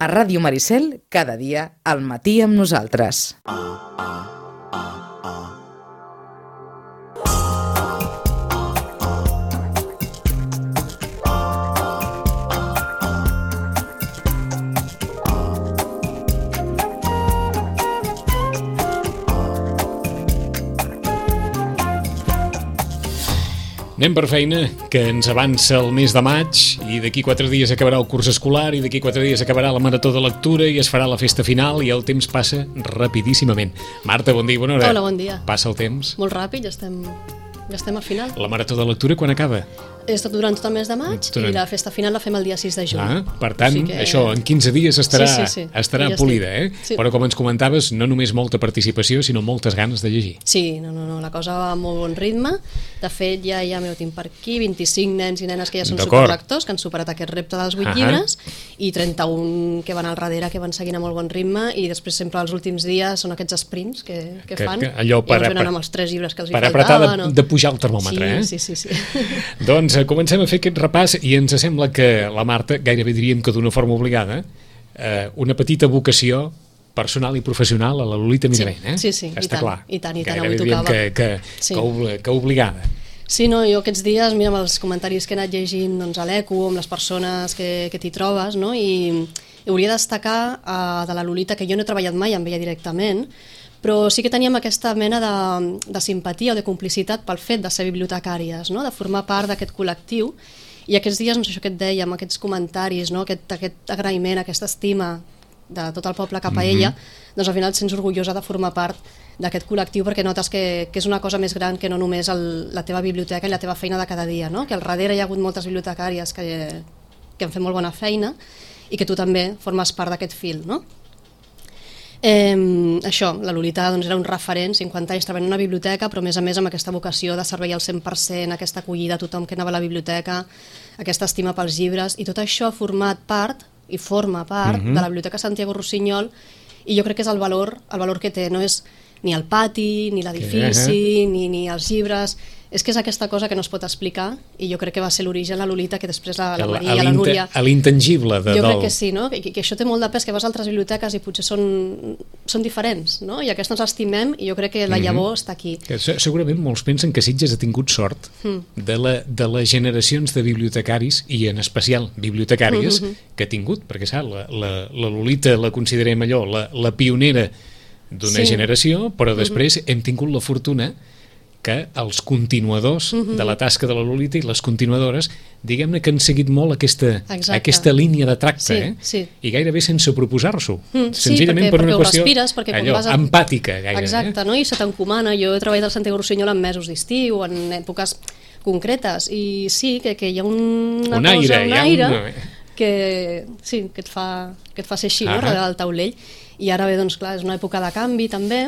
A Ràdio Maricel, cada dia, al matí amb nosaltres. Anem per feina, que ens avança el mes de maig i d'aquí 4 dies acabarà el curs escolar i d'aquí 4 dies acabarà la marató de lectura i es farà la festa final i el temps passa rapidíssimament. Marta, bon dia, bona hora. Hola, bon dia. Passa el temps. Molt ràpid, ja estem al final. La marató de lectura quan acaba? És durant tot el mes de maig i la festa final la fem el dia 6 de juny. Per tant, això, en 15 dies estarà polida, Sí. Però com ens comentaves, no només molta participació, sinó moltes ganes de llegir. Sí, no, la cosa va a molt bon ritme. De fet, ja m'ho tinc per aquí, 25 nens i nenes que ja són superlectors, que han superat aquest repte dels 8 llibres, i 31 que van al darrere, que van seguint a molt bon ritme, i després sempre els últims dies són aquests sprints que fan, allò i ens venen amb els 3 llibres que els hi faltaven. Per apretar de pujar el termòmetre, Sí. Doncs comencem a fer aquest repàs i ens sembla que la Marta, gairebé diríem que d'una forma obligada, una petita vocació personal i professional a la Lolita Miravent, Sí, està clar. I tant, gairebé avui tocava. Que obligada. Sí, no, jo aquests dies, mira, amb els comentaris que he anat llegint a l'ECO, amb les persones que t'hi trobes, no? I hauria de destacar de la Lolita, que jo no he treballat mai amb ella directament, però sí que teníem aquesta mena de simpatia o de complicitat pel fet de ser bibliotecàries, no? De formar part d'aquest col·lectiu, i aquests dies, no sé, això que et deia, amb aquests comentaris, no? aquest agraïment, aquesta estima de tot el poble cap a ella, doncs al final et sents orgullosa de formar part d'aquest col·lectiu perquè notes que és una cosa més gran que no només la teva biblioteca i la teva feina de cada dia, no? Que al darrere hi ha hagut moltes bibliotecàries que han fet molt bona feina i que tu també formes part d'aquest fil, no? Això, la Lolita doncs, era un referent, 50 anys treballant en una biblioteca, però a més amb aquesta vocació de servei al 100%, aquesta acollida a tothom que anava a la biblioteca, aquesta estima pels llibres, i tot això ha format part i forma part de la Biblioteca Santiago Rossinyol, i jo crec que és el valor que té, no és ni el pati, ni l'edifici, ni els llibres, és que és aquesta cosa que no es pot explicar, i jo crec que va ser l'origen la Lolita, que després la Maria i la Núria... A l'intangible de jo crec que sí, no? Que això té molt de pes, que vas a altres biblioteques i potser són diferents, no? I aquesta ens estimem, i jo crec que la llavor està aquí. Segurament molts pensen que Sitges ha tingut sort de les generacions de bibliotecaris, i en especial bibliotecàries, que ha tingut, perquè saps, la Lolita la considerem allò, la pionera d'una generació, però després hem tingut la fortuna que els continuadors de la tasca de la Lolita i les continuadores, diguem-ne que han seguit molt aquesta línia de tracte, i gairebé sense proposar-s'ho, senzillament per una qüestió empàtica gairebé. Exacte, no? I se t'encomana. Jo he treballat al Santiago Rossinyol en mesos d'estiu, en èpoques concretes, i sí, que hi ha un aire que et fa ser així, no? Darrere del taulell. I ara bé, doncs clar, és una època de canvi també,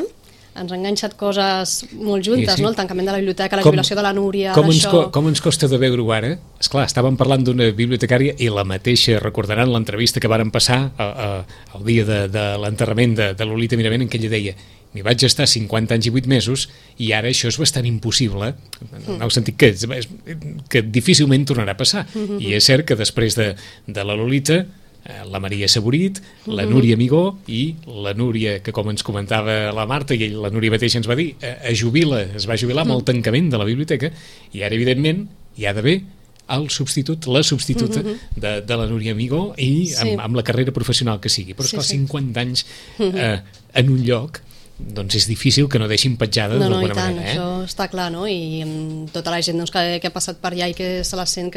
ens han enganxat coses molt juntes, no? El tancament de la biblioteca, la jubilació de la Núria, com ens costa de veure-ho ara? Esclar, estàvem parlant d'una bibliotecària i la mateixa, recordaran l'entrevista que varen passar el dia de l'enterrament de Lolita Miravent, en què ella deia: m'hi vaig estar 50 anys i 8 mesos i ara això és bastant impossible, en el sentit que difícilment tornarà a passar. I és cert que després de la Lolita, la Maria Saborit, la Núria Amigó i la Núria, que com ens comentava la Marta, i la Núria mateixa ens va dir, es va jubilar amb el tancament de la biblioteca, i ara evidentment hi ha d'haver la substituta de la Núria Amigó, i amb la carrera professional que sigui. Però esclar, 50 anys en un lloc, doncs és difícil que no deixin petjada d'alguna manera. Això està clar, no? I amb tota la gent que ha passat per allà i que se la sent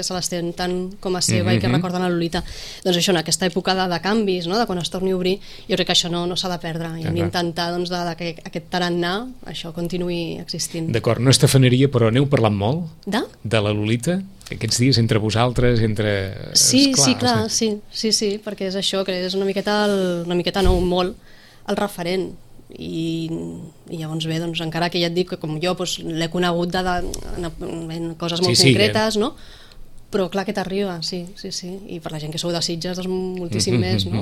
tant com a seva i que recorden la Lolita, doncs això, en aquesta època de canvis, de quan es torni a obrir, jo crec que això no s'ha de perdre, i hem d'intentar que aquest tarannà això continuï existint. D'acord, no és tafaneria, però aneu parlant molt de la Lolita aquests dies entre vosaltres, entre... Sí, clar, sí, perquè és això, que és una miqueta no, molt el referent. I llavors bé, doncs, encara que ja et dic que com jo l'he conegut en coses molt concretes, no? Però clar que t'arriba, sí. I per la gent que sou de Sitges, doncs moltíssim més, no?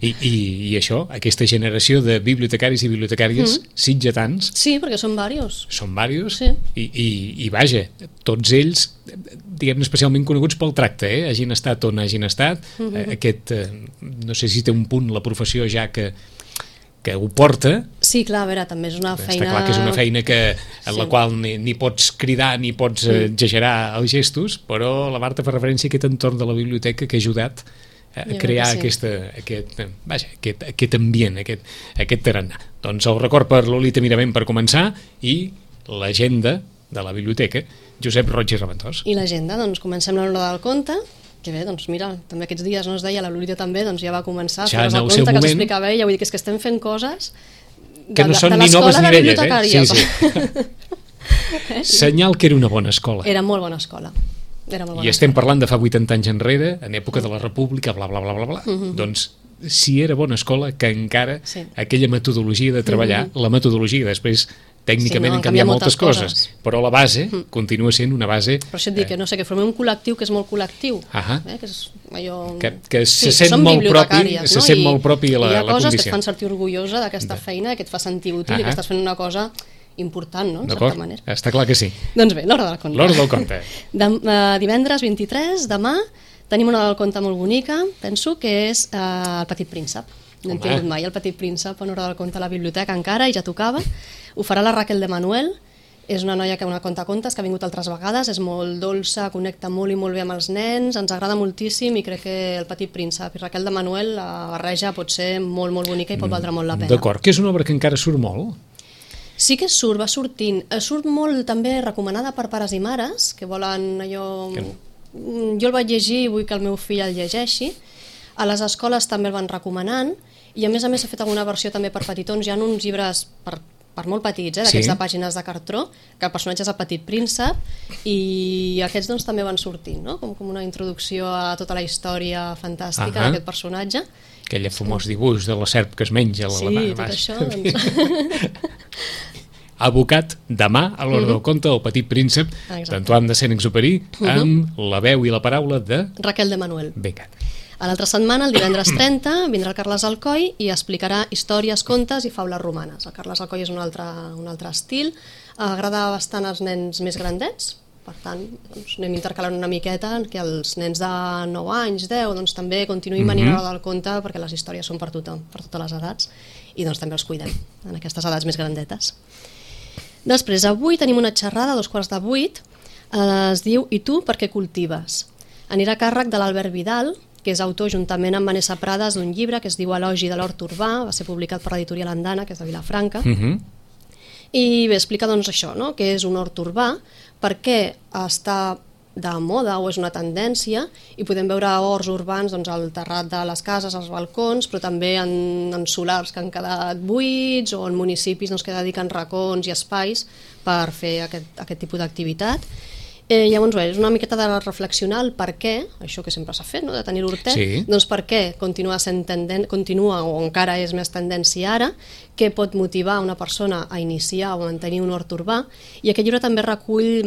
I això, aquesta generació de bibliotecaris i bibliotecàries sitgetans... Sí, perquè són diversos. Són diversos, Sí. i vaja, tots ells, diguem-ne, especialment coneguts pel tracte, hagin estat on hagin estat, aquest, no sé si té un punt la professió ja que ho porta. Sí, clar, a veure, també és una feina... Està clar que és una feina en la qual ni pots cridar ni pots exagerar els gestos, però la Marta fa referència a aquest entorn de la biblioteca que ha ajudat a crear aquest ambient, aquest tarannà. Doncs el record per Lolita Miravent per començar i l'agenda de la biblioteca, Josep Roig i Raventós. I l'agenda, doncs comencem l'hora del conte, que bé, doncs mira, també aquests dies no es deia, la Lolita també, doncs ja va començar a fer el conte que us explicava ella, vull dir que és que estem fent coses que no són ni noves ni velles, sí. Senyal que era una bona escola. Era molt bona escola. I estem parlant de fa 80 anys enrere, en època de la República, bla, bla, bla, bla, bla. Doncs si era bona escola, que encara aquella metodologia de treballar, la metodologia després tècnicament han canviat moltes coses, però la base continua sent una base... Però això et dic que no sé, que formem un col·lectiu que és molt col·lectiu, que és allò... Que se sent molt propi, se sent molt propi a la condició. Hi ha coses que et condició. fan sentir orgullosa d'aquesta feina, que et fa sentir útil i que estàs fent una cosa important, no?, en certa manera. Està clar que sí. Doncs bé, l'hora del conte. L'hora del conte. Divendres 23, demà, tenim una hora del conte molt bonica, penso, que és El petit príncep. No hem tingut mai El petit príncep en hora del conte a la biblioteca encara, i ja tocava. Ho farà la Raquel de Manuel, és una noia que una contacontes que ha vingut altres vegades, és molt dolça, connecta molt i molt bé amb els nens, ens agrada moltíssim i crec que El petit príncep i Raquel de Manuel, la barreja pot ser molt, molt bonica i pot valdre molt la pena. D'acord, que és una obra que encara surt molt? Sí que surt, va sortint. Surt molt també recomanada per pares i mares, que volen allò... Jo el vaig llegir i vull que el meu fill el llegeixi. A les escoles també el van recomanant, i a més s'ha fet alguna versió també per petitons. Hi ha uns llibres per molt petits, d'aquests de pàgines de cartró, que el personatge és el petit príncep, i aquests doncs també van sortint, no? Com una introducció a tota la història fantàstica d'aquest personatge. Aquell famós dibuix de la serp que es menja. Sí, tot això. Abocat demà a l'hora del conte El petit príncep d'Antoine de Saint-Exupéry, amb la veu i la paraula de... Raquel de Manuel. Vinga. A l'altra setmana, el divendres 30, vindrà el Carles Alcoi i explicarà històries, contes i faules romanes. El Carles Alcoi és un altre estil, agrada bastant als nens més grandets, per tant, doncs, anem intercalant una miqueta que els nens de 9 anys, 10, doncs també continuïn venint a l'hora del conte, perquè les històries són per tothom, per totes les edats, i doncs també els cuidem en aquestes edats més grandetes. Després, avui tenim una xerrada a 7:15, es diu I tu per què cultives? Anirà a càrrec de l'Albert Vidal, que és autor juntament amb Vanessa Prades d'un llibre que es diu Elogi de l'hort urbà, va ser publicat per l'editorial Andana, que és de Vilafranca, i bé, explica doncs això, no? Que és un hort urbà, per què està de moda o és una tendència, i podem veure horts urbans doncs, al terrat de les cases, als balcons, però també en solars que han quedat buits o en municipis doncs, que dediquen racons i espais per fer aquest tipus d'activitat. Llavors, bé, és una miqueta de reflexionar el per què, això que sempre s'ha fet, no? De tenir l'hortet, doncs per què continua o encara és més tendència ara, què pot motivar una persona a iniciar o mantenir un hort urbà, i aquest llibre també recull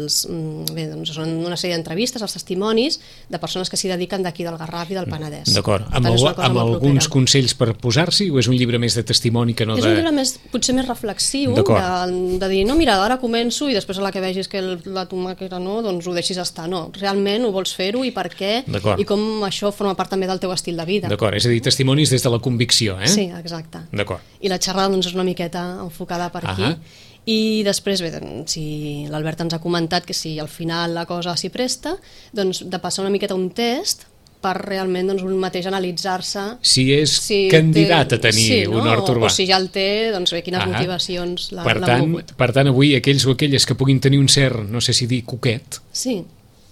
són una sèrie d'entrevistes, els testimonis de persones que s'hi dediquen d'aquí del Garraf i del Penedès. D'acord, amb alguns consells per posar-s'hi, o és un llibre més de testimoni que no de... És un llibre potser més reflexiu, de dir, no, mira, ara començo i després a la que vegis que la tomàquera no, doncs ho deixis estar, no, realment ho vols fer-ho i per què, i com això forma part també del teu estil de vida. D'acord, és a dir, testimonis des de la convicció, eh? Sí, exacte. D'acord. I la xerrada doncs, és una miqueta enfocada per aquí. I després, bé, si l'Albert ens ha comentat que si al final la cosa s'hi presta, doncs de passar una miqueta un test per realment doncs, un mateix analitzar-se si és candidat a tenir un hort urbà. O si ja el té, doncs bé, quines motivacions l'han mogut. Per tant, avui aquells o aquelles que puguin tenir un cert, no sé si dir coquet, sí,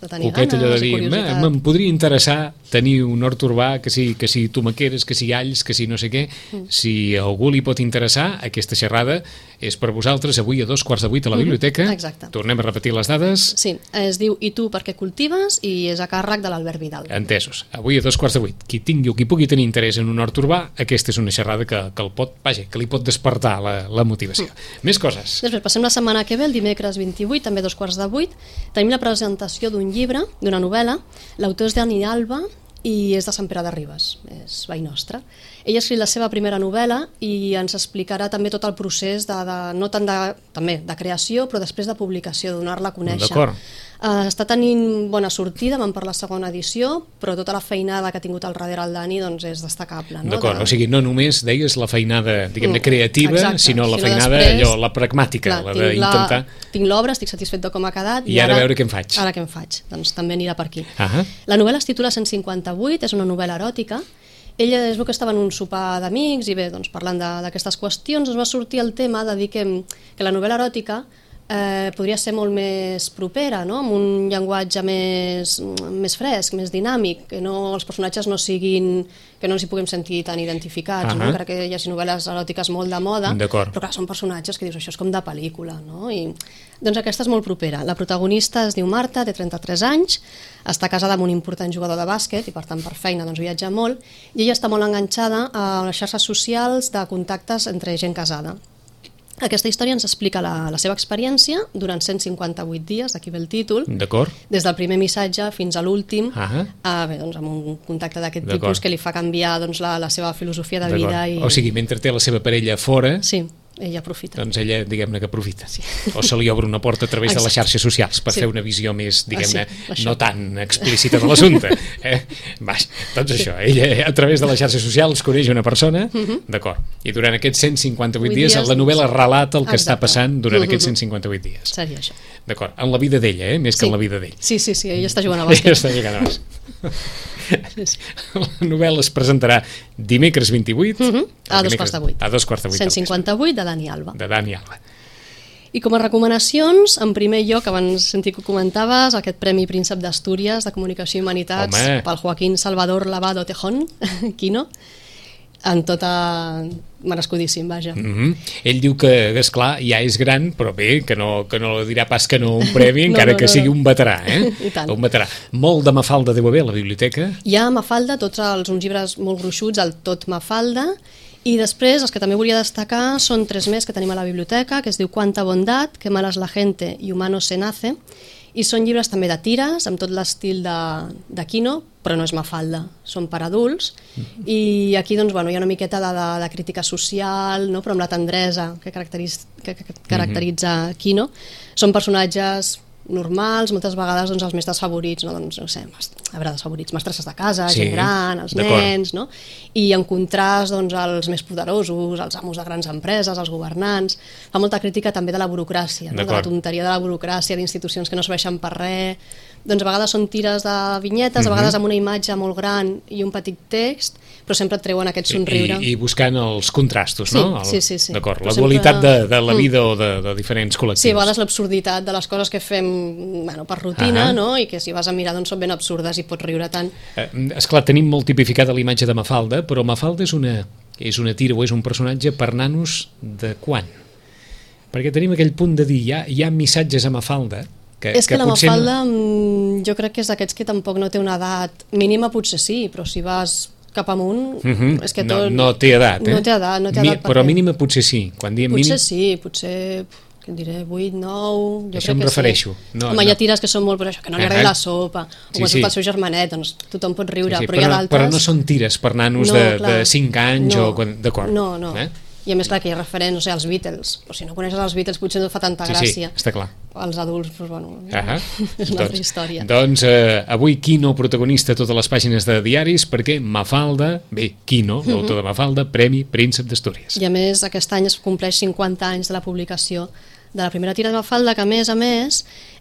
de tenir coquet, allò de dir, me'n podria interessar tenir un hort urbà, que si tomaqueres, que si alls, que si no sé què. Si a algú li pot interessar, aquesta xerrada és per vosaltres avui a 2:15 a la biblioteca. Exacte. Tornem a repetir les dades. Sí, es diu I tu per què cultives i és a càrrec de l'Albert Vidal. Entesos. Avui a 2:15. Qui tingui o qui pugui tenir interès en un hort urbà, aquesta és una xerrada que li pot despertar la motivació. Més coses. Després passem la setmana que ve, el dimecres 28, també a 2:15, tenim la presentació d'un llibre, d'una novel·la. L'autor és Dani Alba i és de Sant Pere de Ribes, és veí nostre. Ell ha escrit la seva primera novel·la i ens explicarà també tot el procés no tant de creació, però després de publicació, de donar-la a conèixer. D'acord. Està tenint bona sortida, vam per la segona edició, però tota la feinada que ha tingut al darrere el Dani doncs és destacable. No? D'acord, o sigui, no només deies la feinada, diguem-ne, creativa, exacte, sinó la feinada, després, la pragmàtica, clar, la d'intentar... Tinc l'obra, estic satisfet de com ha quedat. I ara veure què en faig. Ara què en faig, doncs també anirà per aquí. Ah. La novel·la es titula 158, és una novel·la eròtica. Ella es veu que estava en un sopar d'amics i bé, doncs parlant d'aquestes qüestions ens va sortir el tema de dir que la novel·la eròtica podria ser molt més propera, no? Amb un llenguatge més fresc, més dinàmic, que els personatges no siguin, que no ens hi puguem sentir tan identificats. No? Crec que hi hagi novel·les eròtiques molt de moda, però clar, són personatges que dius, això és com de pel·lícula, no? I, doncs aquesta és molt propera. La protagonista es diu Marta, té 33 anys, està casada amb un important jugador de bàsquet i per tant per feina doncs, viatja molt, i ella està molt enganxada a les xarxes socials de contactes entre gent casada. Aquesta història ens explica la seva experiència durant 158 dies, d'aquí ve el títol, des del primer missatge fins a l'últim, doncs, amb un contacte d'aquest tipus que li fa canviar doncs, la seva filosofia de vida. O sigui, mentre té la seva parella fora... Sí. Ella aprofita. Doncs ella, diguem-ne, que aprofita. Sí. O se li obre una porta a través de les xarxes socials per fer una visió més, diguem-ne, no tan explícita de l'assumpte. Doncs això, ella a través de les xarxes socials coneix una persona, d'acord, i durant aquests 158 dies la novel·la relata el que està passant durant aquests 158 dies. Seria això. D'acord, en la vida d'ella, més que en la vida d'ell. Sí, ella està jugant a bàsquet. Ella està jugant a bàsquet. La novel·la es presentarà dimecres 28 a 2:15. A 2:15. 158 de Dani Alba. De Dani Alba. I com a recomanacions, en primer lloc, abans sentit que ho comentaves, aquest Premi Príncep d'Astúries de Comunicació i Humanitats pel Joaquín Salvador Lavado Tejón, Quino, en tota... merescudíssim, vaja. Ell diu que, esclar, ja és gran, però bé, que no dirà pas que no un premi, encara que sigui un veterà, I tant. Un veterà. Molt de Mafalda deu haver a la biblioteca. Hi ha Mafalda, uns llibres molt gruixuts, el Tot Mafalda, i després els que també volia destacar són 3 més que tenim a la biblioteca, que es diu Cuánta bondad, Qué mala es la gente i Humano se nace, i són llibres també de tires, amb tot l'estil de Quino, però no és Mafalda, són per adults, i aquí doncs, hi ha una miqueta de crítica social, no? Però amb la tendresa que caracteritza Quino. Són personatges normals, moltes vegades doncs, els més desfavorits, no sé, desfavorits, mestresses de casa, gent gran, els nens, no? I en contrast doncs, els més poderosos, els amos de grans empreses, els governants. Fa molta crítica també de la burocràcia, no? De la tonteria de la burocràcia, d'institucions que no serveixen per res. Doncs a vegades són tires de vinyetes, a vegades amb una imatge molt gran i un petit text, però sempre et treuen aquest somriure. I buscant els contrastos, no? Sí. D'acord, la dualitat de la vida o de diferents col·lectius. Sí, a vegades l'absurditat de les coses que fem per rutina, no? I que si vas a mirar doncs són ben absurdes i pots riure tant. Esclar, tenim molt tipificada la imatge de Mafalda, però Mafalda és una tira o és un personatge per nanos de quan? Perquè tenim aquell punt de dir, hi ha missatges a Mafalda és que la Mafalda jo crec que és d'aquests que tampoc no té una edat mínima, potser sí, però si vas cap amunt és que tot... No té edat, No té edat però mínima potser sí. Potser sí, potser... que diré, 8, 9... Això em refereixo. Home, hi ha tires que són molt per això, que no li agrada la sopa, o quan surt el seu germanet, doncs tothom pot riure, però hi ha d'altres... Però no són tires per nanos de 5 anys o... D'acord. No. I a més, clar, que hi ha referents, no sé, als Beatles, però si no coneixes els Beatles potser no fa tanta gràcia. Sí, està clar. Els adults, doncs, bueno, és una altra història. Doncs avui Quino protagonista a totes les pàgines de diaris, perquè Mafalda, Quino, l'autor de Mafalda, Premi Príncep d'Astúries. I a més, aquest any es compleix 50 anys de la publicació de la primera tira de Mafalda, que a més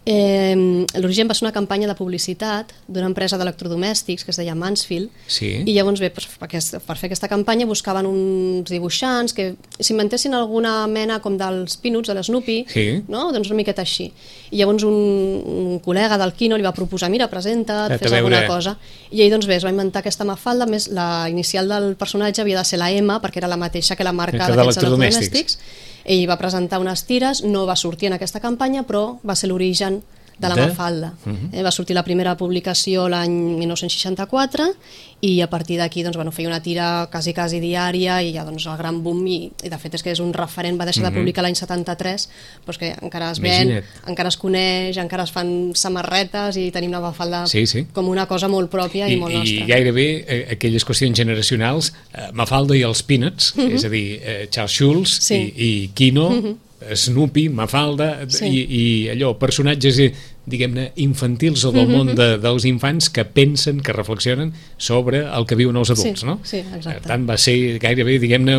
L'origen va ser una campanya de publicitat d'una empresa d'electrodomèstics que es deia Mansfield, i llavors bé, per fer aquesta campanya buscaven uns dibuixants que s'inventessin alguna mena com dels Peanuts, de l'Snoopy, doncs una miqueta així. I llavors un col·lega del Quino li va proposar, mira, presenta't, fes alguna cosa. I ell doncs bé, es va inventar aquesta Mafalda, més la inicial del personatge havia de ser la M, perquè era la mateixa que la marca d'aquests electrodomèstics. Ell va presentar unes tires, no va sortir en aquesta campanya, però va ser l'origen de la Mafalda. Va sortir la primera publicació l'any 1964 i a partir d'aquí feia una tira quasi diària i ja el gran boom, i de fet és que és un referent, va deixar de publicar l'any 73, però és que encara es ven, encara es coneix, encara es fan samarretes i tenim la Mafalda com una cosa molt pròpia i molt nostra. I gairebé aquelles qüestions generacionals, Mafalda i els Peanuts, és a dir, Charles Schulz i Quino, Snoopy, Mafalda i allò, personatges diguem-ne infantils o del món dels infants que pensen, que reflexionen sobre el que viuen els adults, no? Sí, exacte. Per tant, va ser gairebé, diguem-ne,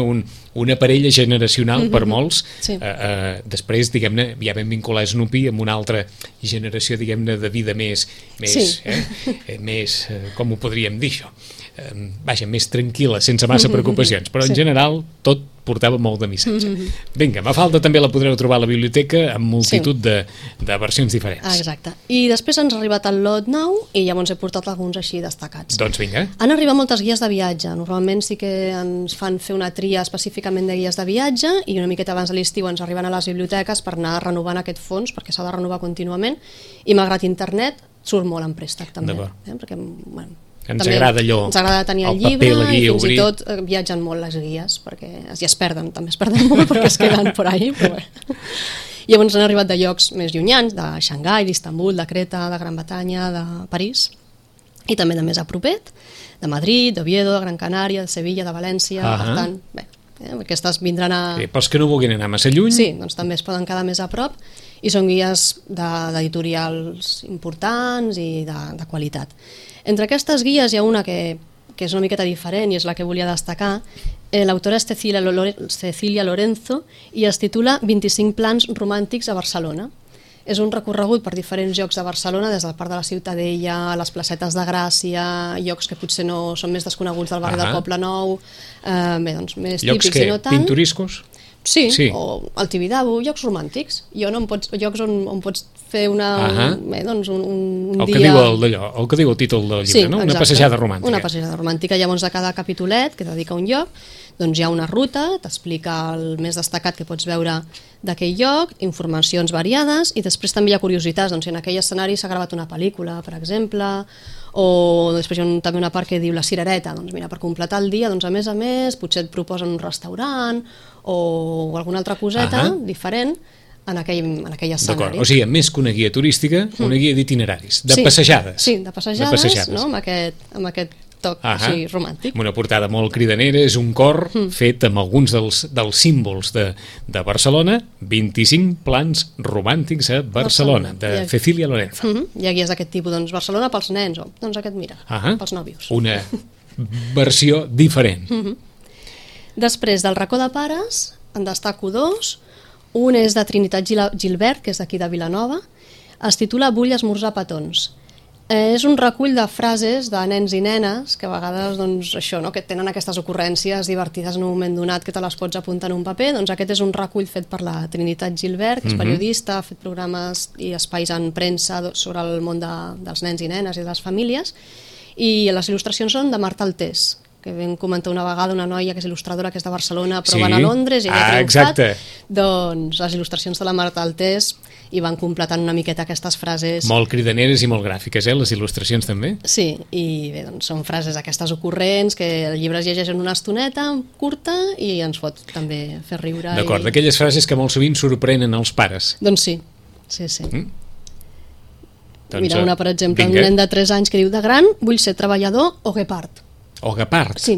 una parella generacional per molts. Després, diguem-ne, ja vam vincular Snoopy amb una altra generació, diguem-ne, de vida més, com ho podríem dir això? Vaja, més tranquil·la, sense massa preocupacions, però en general tot portava molt de missatge. Vinga, Mafalda també la podreu trobar a la biblioteca amb multitud de versions diferents. Exacte. I després ens ha arribat el lot nou i llavors he portat alguns així destacats. Doncs vinga. Han arribat moltes guies de viatge. Normalment sí que ens fan fer una tria específicament de guies de viatge i una miqueta abans de l'estiu ens arriben a les biblioteques per anar renovant aquest fons, perquè s'ha de renovar contínuament, i malgrat internet surt molt en préstec també. Perquè, bueno, ens agrada allò, ens agrada tenir el llibre, i fins i tot viatgen molt les guies, perquè ja es perden, també es perden molt perquè es queden por ahí, però bé. Llavors han arribat de llocs més llunyans, de Xangai, d'Istanbul, de Creta, de Gran Bretanya, de París, i també de més a propet, de Madrid, d'Oviedo, de Gran Canària, de Sevilla, de València, per tant, bé, aquestes vindran a... Pels que no vulguin anar massa lluny... Sí, doncs també es poden quedar més a prop, i són guies d'editorials importants i de qualitat. Entre aquestes guies hi ha una que és una miqueta diferent i és la que volia destacar. L'autora és Cecilia Lorenzo i es titula 25 plans romàntics a Barcelona. És un recorregut per diferents llocs de Barcelona, des del Parc de la Ciutadella, les placetes de Gràcia, llocs que potser no són més desconeguts del barri del Poble Nou, bé, doncs més típics i no tant. Llocs que pintoriscos? Sí, o el Tibidabo, llocs romàntics. Llocs on pots fer un dia... El que diu el títol del llibre, no? Una passejada romàntica. Una passejada romàntica. Llavors, de cada capitolet que dedica un lloc, doncs hi ha una ruta, t'explica el més destacat que pots veure d'aquell lloc, informacions variades, i després també hi ha curiositats, doncs si en aquell escenari s'ha gravat una pel·lícula, per exemple, o després hi ha també una part que diu la cirereta, doncs mira, per completar el dia, doncs a més, potser et proposen un restaurant o alguna altra coseta diferent en aquell escenari. D'acord, o sigui, més que una guia turística, una guia d'itineraris, de passejades. Sí, de passejades, no? amb aquest toc així romàntic. Una portada molt cridanera, és un cor fet amb alguns dels símbols de Barcelona, 25 plans romàntics a Barcelona, de Cecilia Lorenzo. Hi ha guies d'aquest tipus, doncs Barcelona pels nens, o doncs aquest, mira, pels nòvios. Una versió diferent. Després del racó de pares, en destaco dos. Un és de Trinitat Gilbert, que és d'aquí de Vilanova, es titula Vull esmorzar petons. És un recull de frases de nens i nenes que a vegades doncs, això, no? Que tenen aquestes ocurrències divertides en un moment donat que te les pots apuntar en un paper. Doncs aquest és un recull fet per la Trinitat Gilbert, que és periodista, ha fet programes i espais en premsa sobre el món dels nens i nenes i de les famílies, i les il·lustracions són de Marta Altés, que vam comentar una vegada, una noia que és il·lustradora, que és de Barcelona, però van a Londres i ella ha triomfat. Doncs les il·lustracions de la Marta Altés i van completant una miqueta aquestes frases. Molt cridaneres i molt gràfiques, les il·lustracions també? Sí, i bé, doncs són frases aquestes ocurrents que el llibre es llegeix en una estoneta curta i ens pot també fer riure. D'acord, d'aquelles frases que molt sovint sorprenen els pares. Doncs sí. Mira, una, per exemple, un nen de 3 anys que diu: de gran vull ser treballador o guepard. O guepard? Sí,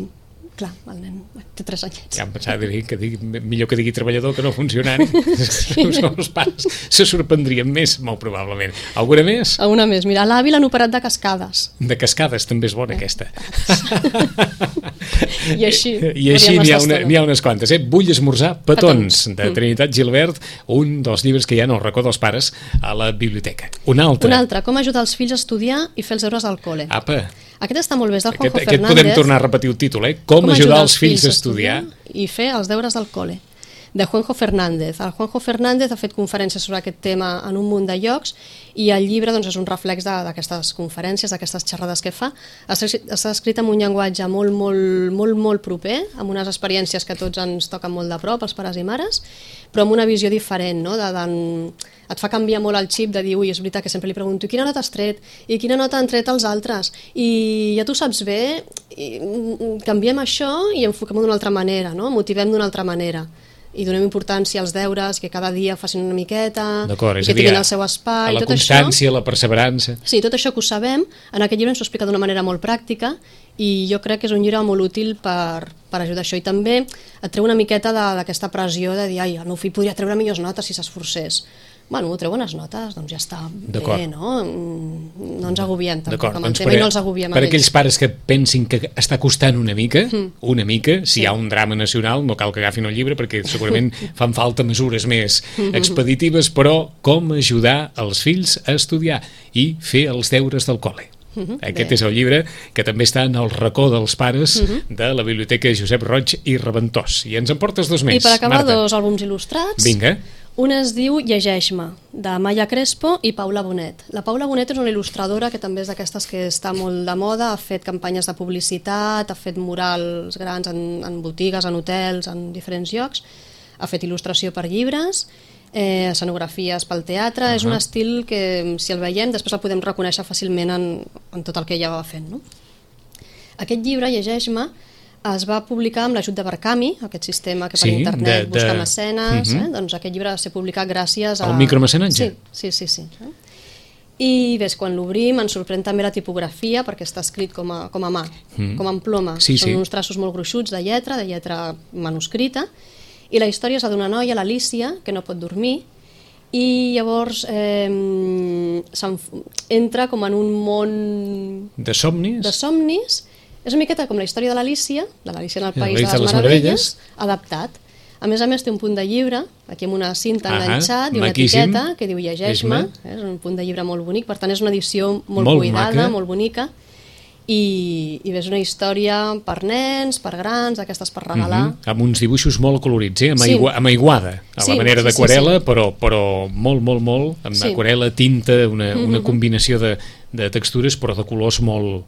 clar, el nen té 3 anyets. Ja em pensava que millor que digui treballador que no funcionari. Sí. Els pares se sorprendrien més, molt probablement. Alguna més? Alguna més. Mira, a l'avi l'han operat de cascades. De cascades, també és bona aquesta. I així n'hi ha unes quantes. Vull esmorzar petons, de Trinitat Gilbert, un dels llibres que hi ha al racó dels pares a la biblioteca. Un altre, com ajudar els fills a estudiar i fer els deures al col·le. Apa! Aquest està molt bé, és del Juanjo Fernández. Aquest podem tornar a repetir el títol, Com ajudar els fills a estudiar i fer els deures del col·le, de Juanjo Fernández. El Juanjo Fernández ha fet conferències sobre aquest tema en un munt de llocs i el llibre doncs, és un reflex d'aquestes conferències, d'aquestes xerrades que fa. Està escrit amb un llenguatge molt proper, amb unes experiències que tots ens toquen molt de prop, els pares i mares, però amb una visió diferent, no? Et fa canviar molt el xip de dir, ui, és veritat que sempre li pregunto quina nota has tret i quina nota han tret els altres i ja tu saps bé, canviem això i enfoquem d'una altra manera, no? Motivem d'una altra manera i donem importància als deures, que cada dia facin una miqueta, i que tinguin el seu espai, a la constància, la perseverança. Sí, tot això que ho sabem, en aquest llibre ens ho explica d'una manera molt pràctica i jo crec que és un llibre molt útil per ajudar això, i també et treu una miqueta d'aquesta pressió de dir, ai, el meu fill podria treure millors notes si s'esforcés. Bueno, treu bones notes, doncs ja està bé, no? No ens agobiem tampoc amb el tema i no els agobiem per aquells pares que pensin que està costant una mica, si hi ha un drama nacional no cal que agafin el llibre perquè segurament fan falta mesures més expeditives, però com ajudar els fills a estudiar i fer els deures del col·le. Aquest és el llibre que també està en el racó dels pares de la Biblioteca Josep Roig i Reventós. I ens en portes 2 més, I per acabar, Marta. 2 àlbums il·lustrats. Vinga. Un es diu Llegeix-me, de Maya Crespo i Paula Bonet. La Paula Bonet és una il·lustradora que també és d'aquestes que està molt de moda, ha fet campanyes de publicitat, ha fet murals grans en botigues, en hotels, en diferents llocs, ha fet il·lustració per llibres, escenografies pel teatre, és un estil que si el veiem després el podem reconèixer fàcilment en tot el que ella va fent, no? Aquest llibre, Llegeix-me, es va publicar amb l'ajut de Barkami, aquest sistema que per internet busca mecenes, doncs aquest llibre va ser publicat gràcies a... El micromecenatge? Sí. I ves, quan l'obrim ens sorprèn també la tipografia perquè està escrit com a mà, com en ploma. Són uns traços molt gruixuts de lletra manuscrita, i la història és la d'una noia, l'Alícia, que no pot dormir, i llavors entra com en un món... De somnis? És una miqueta com la història de l'Alícia en el País de les Meravelles, adaptat. A més, té un punt de llibre, aquí amb una cinta enganxat i una etiqueta que diu Llegeix-me, és un punt de llibre molt bonic, per tant és una edició molt cuidada, molt bonica, i ves una història per nens, per grans, d'aquestes per regalar. Amb uns dibuixos molt colorits, amb aiguada, a la manera d'aquarel·la, però molt, amb aquarel·la, tinta, una combinació de textures, però de colors molt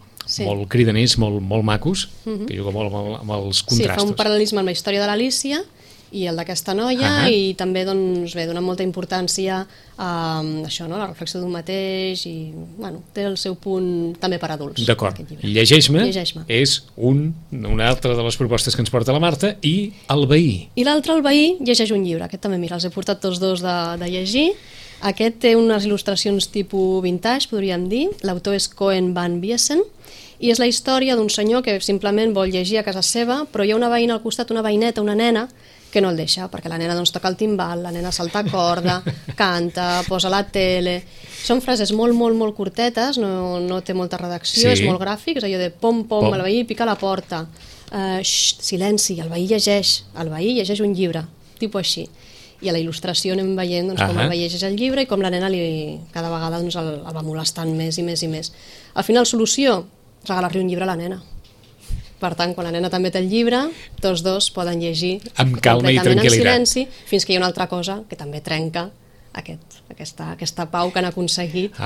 cridaners, molt macos, que juga molt amb els contrastos. Sí, fa un paral·lelisme amb la història de l'Alícia i el d'aquesta noia, i també dona molta importància a això, la reflexió d'un mateix, i té el seu punt també per adults. D'acord, Llegeix-me és una altra de les propostes que ens porta la Marta, i El veí. I l'altre, El veí, llegeix un llibre, aquest també, mira, els he portat tots 2 de llegir. Aquest té unes il·lustracions tipus vintage, podríem dir, l'autor és Cohen Van Biesen, i és la història d'un senyor que simplement vol llegir a casa seva, però hi ha una veïna al costat, una veïneta, una nena, que no el deixa, perquè la nena toca el timbal, la nena salta corda, canta, posa la tele... Són frases molt curtetes, no té molta redacció, és molt gràfic, és allò de pom, el veí pica a la porta, silenci, el veí llegeix un llibre, tipus així. I a la il·lustració anem veient com el veí llegeix el llibre i com la nena cada vegada el va molestant més i més i més. Al final, solució, regalar-li un llibre a la nena. Per tant, quan la nena també té el llibre, tots 2 poden llegir amb calma i tranquil·litat, en silenci, fins que hi ha una altra cosa que també trenca aquesta pau que han aconseguit,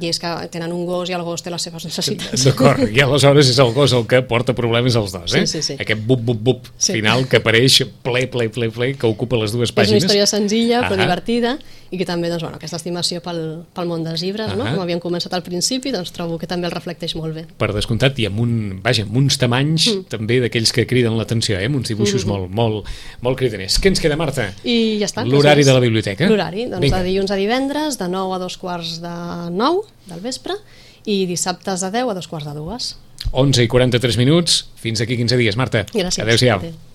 i és que tenen un gos i el gos té les seves necessitats. D'acord, i aleshores és el gos el que porta problemes als 2, Sí. Aquest bup final que apareix ple, que ocupa les 2 pàgines. És una història senzilla però divertida, i que també aquesta estimació pel món dels llibres, com havíem començat al principi, trobo que també el reflecteix molt bé. Per descomptat, i amb uns tamanys també d'aquells que criden l'atenció, amb uns dibuixos molt cridaners. Què ens queda, Marta? I ja està. L'horari de la biblioteca? L'horari, de dilluns a divendres, de 9 a 2:45 del vespre, i dissabtes de 10 a 2:45. 11:43, fins aquí 15 dies, Marta. Gràcies. Adéu-siau.